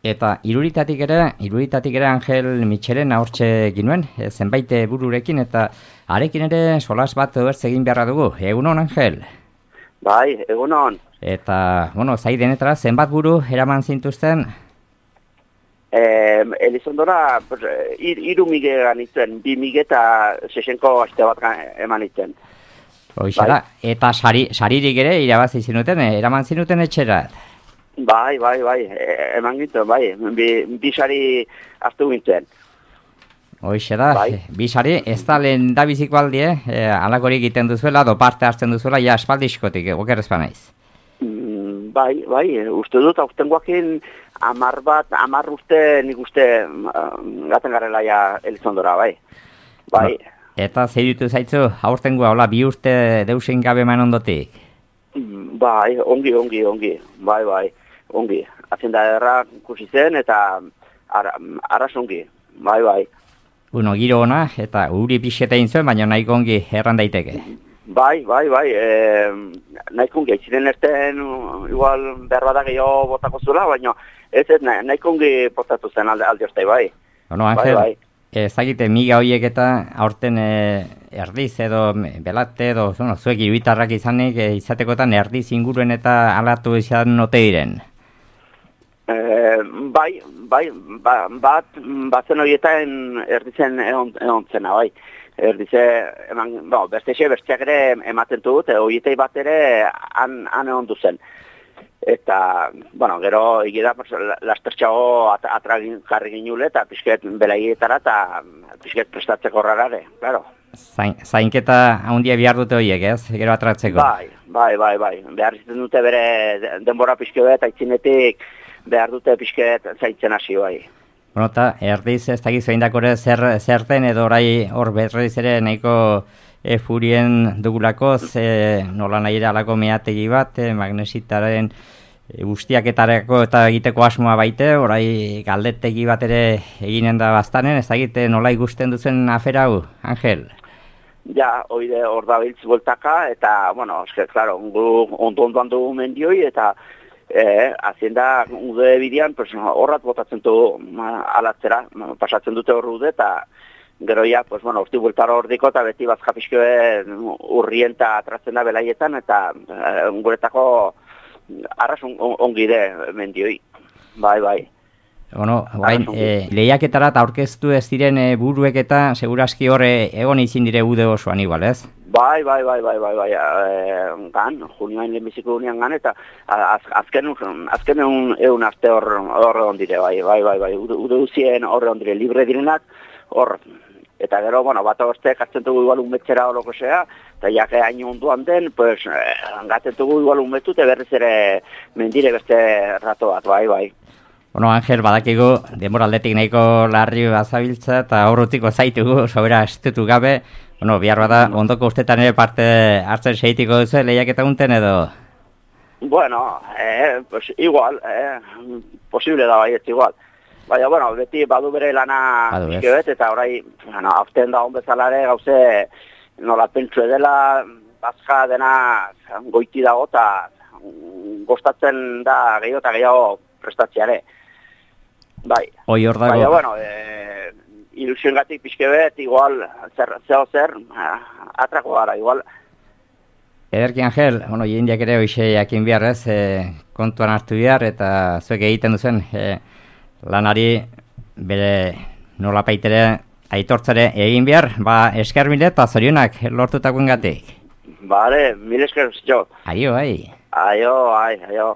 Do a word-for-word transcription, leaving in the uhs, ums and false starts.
Eta iruritatik ere, iruritatik ere Angel Mitxelen ahortxe ginuen, e, zenbait bururekin, eta arekin ere solas bat bertz egin beharra dugu. Egunon, Angel? Bai, egunon. Eta, bueno, zai denetara, zenbat buru eraman zintuzten? Eh, Elizondora, ir, iru mige ganitzen, bi mige eta sesenko aste bat eman itzen. Hoixera, bai. Eta sari, saririk ere irabazi zinuten, eraman zinuten etxerat? Bai, bai, bai, e, eman gintzen, bai, bi, bi sari hartu gintzen. Hoixe da, bai. Bi sari, ez da lehen da biziko aldi, eh? Alakorik egiten duzuela, do parte hartzen duzuela, ja espaldizkotik, oker ezpa naiz. Mm, bai, bai, uste dut, aurten guakin amar bat, amar uste, nik uste uh, gaten garela ja Elizondora, bai. Bai. No. Eta zeirutu zaitzu, aurten gua, hola, bi urte deusen gabe man ondotik? Mm, bai, ongi, ongi, ongi, bai, bai, ongi. Azenda erra ikusi zen eta ara, arras ongi, bai, bai. Bueno, giro ona, eta uri pixeta zuen, baina nahiko ongi erran daiteke. Bai, bai, bai, e, nahiko ongi, etxiren erten igual behar bada gehiago botako zula, baina ez ez nahiko ongi portatu zen alde, alde ostai, bai. Bueno, Angel, bai, bai. Ezagite miga horiek eta aurten e, erdiz edo belate edo bueno, zuek iruitarrak izanik e, izatekotan erdiz inguruen eta alatu izan note diren. E, bai, bai, ba, bat, batzen horietan erdizen egon, egon zena, bai. Erdize, eman, bo, bestexe, besteak ere ematen dut, horietei bat ere han, han egon duzen. Eta, bueno, gero egida lastertxago at, atragin jarri ginule eta pixket belaietara eta pixket prestatzeko rarare, claro. Zain, zainketa handia behar dute horiek, ez? Gero atratzeko. Bai, bai, bai, bai. Behar izten dute bere denbora pixke bet, aitzinetik behar dute pixket zaintzen hasi bai. Bueno, eta erdiz ez dakizu eindakore zer, zerten edo orai hor berriz ere nahiko e, furien dugulako, ze nola nahi ere alako meategi bat, e, magnesitaren e, guztiaketarako eta egiteko asmoa baite, orai galdetegi bat ere eginen da bastanen, ez dakite nola ikusten duzen afera hau, Angel? Ja, oide hor da biltz bueltaka, eta, bueno, eske, klaro, ondo-ondoan dugu mendioi, eta Eh, hazienda ude bidean, pues, horrat botatzen du alatzera, pasatzen dute hor ude, eta gero ja, pues, bueno, urti bultara hor diko, eta beti bazkapiskoe urrien eta atratzen da belaietan, eta eh, guretako arras on, on, ongide mendioi, bai, bai. Bueno, guain, e, lehiaketarat aurkeztu ez diren e, buruek eta seguraski horre egon izin dire ude osoan igual, ez? Bai, bai, bai, bai, bai, bai, e, gan, junioain lehenbiziko unian gan, eta az, azken, azken egun, egun aste horre hor ondire, bai, bai, bai, bai, ude, ude uzien horre ondire, libre direnak, hor, eta gero, bueno, bat agostek hartzen dugu igual unmetxera horoko zea, eta jake hain onduan den, pues, gaten dugu igual unmetu, eta berriz ere mendire beste rato bat, bai, bai. Bueno, Angel, badakigu, denboraldetik nahiko larri bazabiltza, eta horretiko zaitugu, sobera estutu gabe, bueno, bihar bada, ondoko ustetan ere parte hartzen seitiko duzu, lehiaketa unten edo? Bueno, eh, pues igual, eh, posible da baiet igual. Baina, bueno, beti badu bere lana izkebet, eta orai, bueno, hauzten da hon bezalare, gauze, nola pentsu edela, bazka dena goiti dago, eta gostatzen da gehiago eta gehiago prestatziare. Bai. Oi hor dago. Baina, bueno, e, ilusioen gatik pixke bet, igual, zer, zeo zer, atrako gara, igual. Ederki, Angel, bueno, jendeak ere hoxe jakin behar ez, e, kontuan hartu behar, eta zuek egiten duzen, e, lanari bere nolapaitere aitortzare egin behar, ba, esker mile eta zorionak lortutakoen gatik. Bale, mil esker, jo. Aio, ai. Aio, ai, aio.